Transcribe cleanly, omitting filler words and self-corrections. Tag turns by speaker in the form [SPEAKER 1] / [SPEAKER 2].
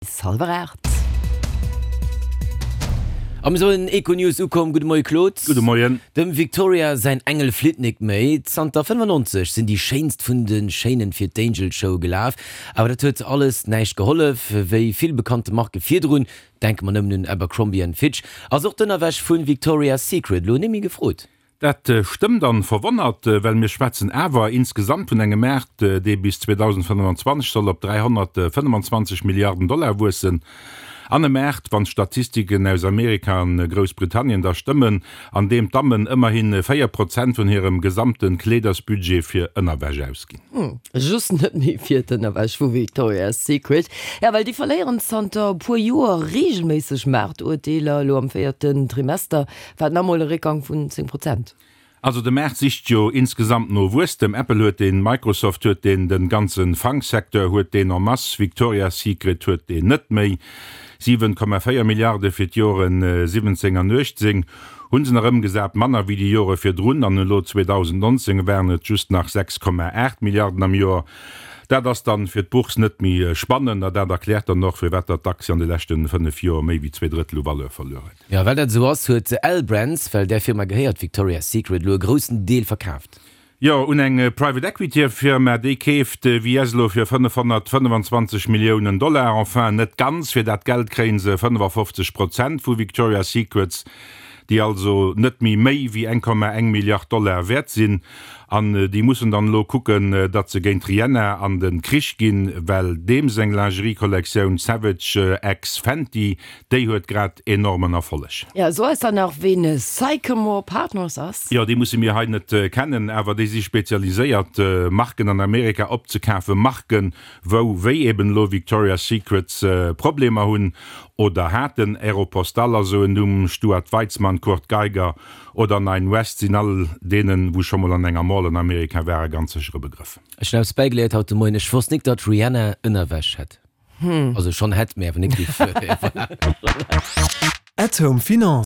[SPEAKER 1] Bis hallwer 8.
[SPEAKER 2] A mir soen Econews ukomm. Gudde Moie Claude.
[SPEAKER 3] Gudde Moien.
[SPEAKER 2] Dem Victoria säin Engel flitt nik méi. Zanter 95 sinn déi schéinst vun de Schéinen fir d'Angel Show gelaf. Awer dat huet alles näischt gehollef. Wéi vill bekannte Marke virdrun, denke mer nëmmen un Abercrombie and Fitch, ass och d'Ënnerwäsch vu Victoria's Secret elo némmi gefrot.
[SPEAKER 3] Dat stëmmt an verwonnert, well mir schwätzen awer insgesamt vun engem Maart, dee bis 2025 soll op 325 Milliarden Dollar wuessen. An e Maart, wann d'Statistiken aus Amerika an Groussbritannien da stëmmen, an deem d'Dammen ëmmerhi 4 Prozent vun hirem gesamte Kleedersbudget fir Ënnerwäsch ausginn.
[SPEAKER 1] Just net méi fir d'Ënnerwäsch vu Victoria's Secret. Jo, well déi verléieren zanter e puer Joer reegelméisseg Maartuerteeler. Elo am véierten Trimester War nach mol e Réckgang vun 10 Prozent.
[SPEAKER 3] Also de Maart sicht jo insgesamt no Wuesstem. Apple huet deen, Microsoft huet deen, den ganzen Fang-Secteur huet deen en masse, Victoria's Secret huet deen net méi. 7,4 Milliarde fir d'Joren 17 an 18 hunn se nach ëmgesat, manner wéi déi Jore virdrun, an elo 2019 waren et just nach 6,8 Milliarden am Joer. Dat ass dann fir d'Bourse net méi spannend a dat erkläert dann och, firwat datt d'Aktie an de leschten 5 Joer méi wéi 2 Drëttel u Valeur verluer huet.
[SPEAKER 2] Jo, well dat esou ass, huet L-Brands, well där Firma gehéiert Victoria's Secret, elo e groussen Deel verkaaft.
[SPEAKER 3] Jo, un eng Private Equity Firma, déi keeft VS elo fir 525 Milliounen Dollar. Enfin, net ganz, fir dat Geld kréie se 55 Prozent vu Victoria's Secrets, déi also net méi méi wéi 1,1 Milliard Dollar wäert sinn. An déi mussen dann elo kucken, datt se géint d'Rihanna an de Krich ginn, well deem seng Lingerie-Kollektioun Savage X Fenty, Déi huet grad enormen Erfolleg.
[SPEAKER 1] Jo, so eis dann nach ween Sycamore Partners ass.
[SPEAKER 3] Jo, déi musse mir hei net kennen, awer déi si spezialiséiert Marken an Amerika opzekafen, Marken wou, wéi eben elo Victoria's Secrets, Problemer hunn oder haten. Aeropostale ass esou en Numm, Stuart Weitzman, Kurt Geiger oder Nine West sinn all deenen, wou scho mol an enger Mall an Amerika waren, ganz sécher e Begrëff.
[SPEAKER 2] Ech hunn eppes bäigeléiert haut de Moien, ech wosst nik datt Rihanna Ënnerwäsch hätt. Also schonn hätt, mee awer nik déi.
[SPEAKER 4] At Home Finance.